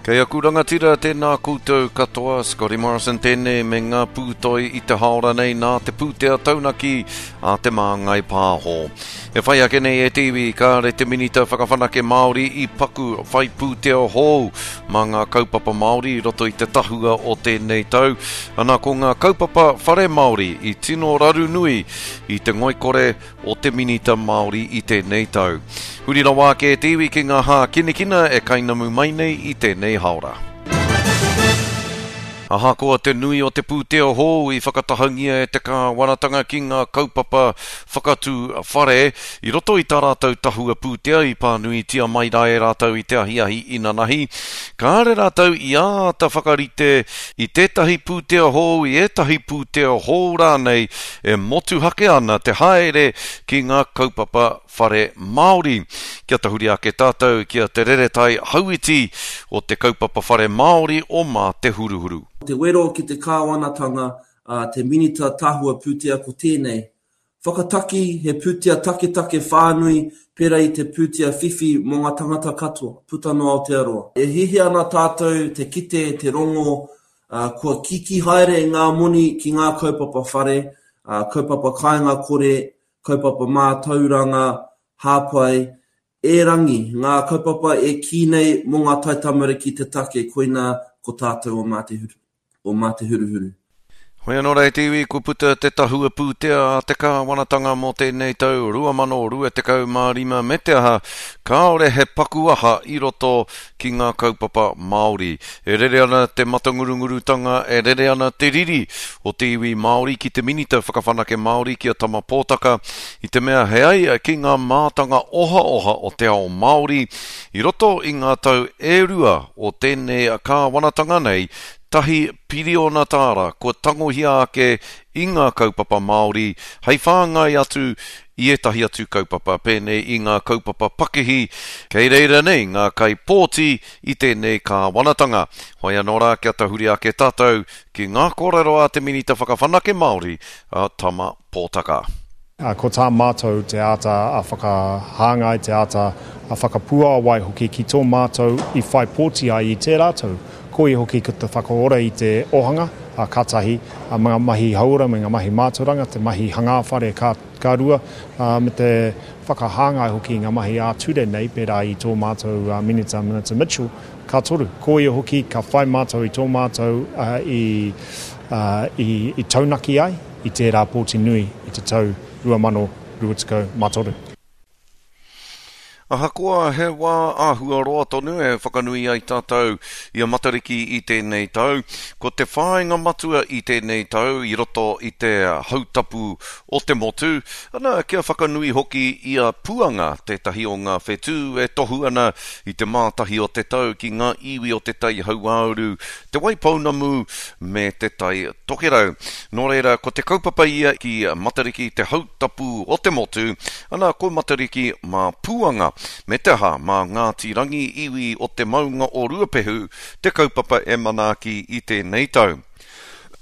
Kei aku rangatira, tēnā koutou katoa, Scotty Morrison tēnei me ngā pūtoi i te haora nei nā te pūtea taunaki a Te Māngai Pāho. E whai ake nei e te iwi, kāre te Minita Whakawhanake Māori i paku whai pūtea hou mā ngā kaupapa Māori i roto i te tahua o tēnei tau. Ana ko ngā kaupapa whare Māori i tino raru nui i te ngoikore o te Minita Māori i tēnei tau. Huri rawa ake e te iwi ki ngā hākinakina e kainamu mai nei i tēnei haora. Ahakoa te nui o te pūtea hou i whakatahangia e te kāwanatanga ki ngā kaupapa whakatū whare, i roto i tā rātou tahua pūtea i pānuitia mai rā e rātou i te ahiahi inanahi, kāre rātou i āta whakarite i tētahi pūtea hou, i ētahi pūtea hou rānei e motuhake ana te haere ki ngā kaupapa whare Māori. Kia tahuri ake tātou ki a Te Reretai Hauiti o te kaupapa whare Māori o Mā Te Huruhuru. Te wero ki te kāwanatanga a te Minita Tahua Pūtea ko tēnei, Whakataki he pūtea taketake whānui pērā i te pūtea whiwhi mō ngā tangata katoa, puta noa Aotearoa. E hiahia ana tātou te kite, te rongo, kua kīkī haere ngā moni ki ngā kaupapa whare, kaupapa kāinga kore, kaupapa mātauranga, hāpai, erangi, ngā kaupapa e kī nei mō ngā taitamariki te take, koinā ko tātou o Mā Te o Mā Te Huruhuru. Hoi anō rā e te iwi, kua puta te tahua pūtea a te kāwanatanga mō tēnei tau 2025 me te aha, kāore he paku aha i roto ki ngā kaupapa Māori. E rere ana te matangurungurutanga, e rere ana te riri o te iwi Māori ki te Minita Whakawhanake Māori ki a Tama Pōtaka, i te mea he ai ki ngā mātanga ohaoha o te ao Māori i roto i ngā tau e rua o tēnei kāwanatanga nei, tahi piriona tāra kua tangohia ake i ngā kaupapa Māori hei whāngai atu i ētahi atu kaupapa pēnei i ngā kaupapa pakihi kei reira nei ngā kaipōti i tēnei kāwanatanga. Hoi anō rā kia tahuri ake tātou ki ngā kōrero a te Minita Whakawhanake Māori a Tama Pōtaka. Ko tā mātou te āta whakahāngai, te āta whakapuāwai hoki ki tō mātou i whai pōti ai i tērā tau. Koia hoki ko te whakaora i te ohanga, ka tahi, me ngā mahi hauora, me ngā mahi mātauranga, te mahi hangā whare ka rua, me te whakahāngai hoki i ngā mahi ā-ture nei, pērā i tō mātou Minita, Minita Mitchell, ka toru. Koia hoki ka whai mātou i tō mātou i taunaki ai. i tērā pōti nui i te tau 2023. Ahakoa he wā āhua roa tonu e whakanui ai tātou i a Matariki i tēnei tau, ko te whāinga matua i tēnei tau i roto i te hautapu o te motu, ana kia whakanui hoki i a Puanga, tētahi o ngā whetū e tohu ana i te mātahi o te tau ki ngā iwi o Te Tai Hauāuru, Te Waipounamu me Te Tai Tokerau. Nō reira, ko te kaupapa ia ki Matariki te hautapu o te motu, ana ko Matariki mā Puanga, me te aha mā Ngāti Rangi iwi o te maunga o Ruapehu te kaupapa e manaaki i tēnei tau.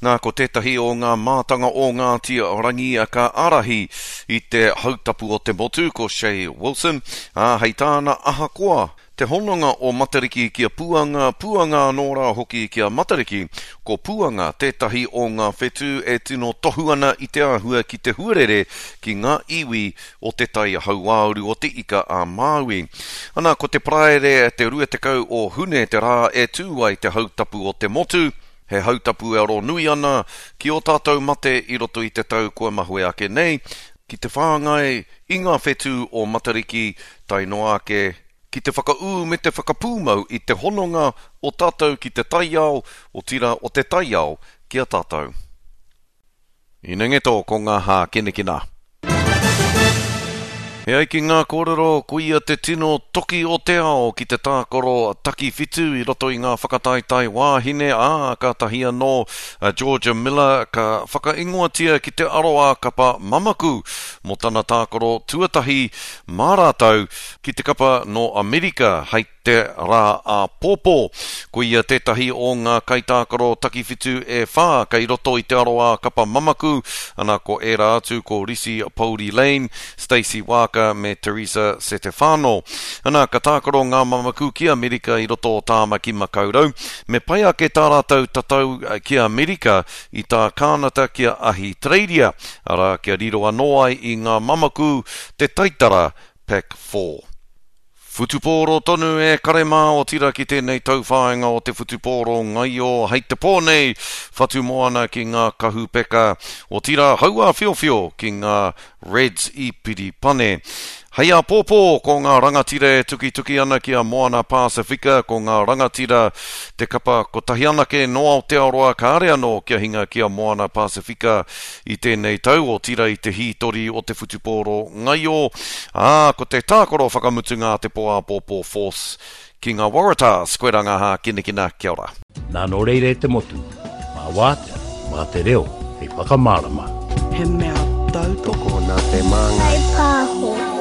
Nā, ko tētahi o ngā mātanga o Ngāti Rangi ka ārahi i te hautapu o te motu, ko Che Wilson, ā, hei tāna ahakoa Te hononga o Matariki ki a Puanga, Puanga anō rā hoki ki a Matariki, ko Puanga tētahi o ngā whetū e tino tohu ana i te āhua ki te huarere ki ngā iwi o Te Tai Hauāuru o Te Ika a Māui. Ana, ko te Paraire te 20 o Hune te rā e tū ai te hautapu o te motu, he hautapu e aro nui ana ki ō tātou mate i roto i te tau kua mahue ake nei, ki te whāngai i ngā whetū o Matariki tae noa ake ki te whakaū me te whakapūmau i te hononga o tātou ki te taiao, otirā o te taiao ki a tātou. Inengeto ko ngā hākinakina. E ai ki ngā kōrero, ko ia te tino toki o te ao ki te tākaro takiwhitu i roto i ngā whakataetae wāhine, ā, kātahi anō a Georgia Miller ka whakaingoatia ki te aroā kapa mamaku mō tana tākaro tuatahi mā rātou ki te kapa nō Amerika hei te rā āpōpō. Ko ia tētahi o ngā kaitākaro takiwhitu e whā kei roto i te aroā kapa mamaku, ana ko ērā atu ko Risi Pouri Lane, Stacey Waaka. Parker me Teresa Setefano. Ana, ka tākaro ngā mamaku ki Amerika i roto o Tāmaki Makaurau. Me pai ake tā rātou tatau ki Amerika i tā Kānata ki a Ahitereiria, arā, kia riro anō ai i ngā mamaku te taitara Pac 4. Whutupōro tonu e kare mā otira ki tēnei tauwhāinga o te whutupōro ngaio hei te pō nei, whatu moana ki ngā kahu peka, otirā hauāwhiowhio ki ngā Reds i Piripane. Hei āpōpō ko ngā rangatira e tukituki ana ki a Moana Pasifika, ko ngā rangatira te kapa kotahi anake nō Aotearoa kāre anō kia hinga ki a Moana Pasifika i tēnei tau, otirā i te hītori o te whutupōro ngaio, ā, ko te tākaro whakamutunga a te pō āpōpō Force ki ngā Waratahs, koirā ngā hākinakina, kia ora. Nā nō reira e te motu, mā wātea, mā te reo hei whakamārama. He mea tautoko. Tokona te māngai. Whai pāho.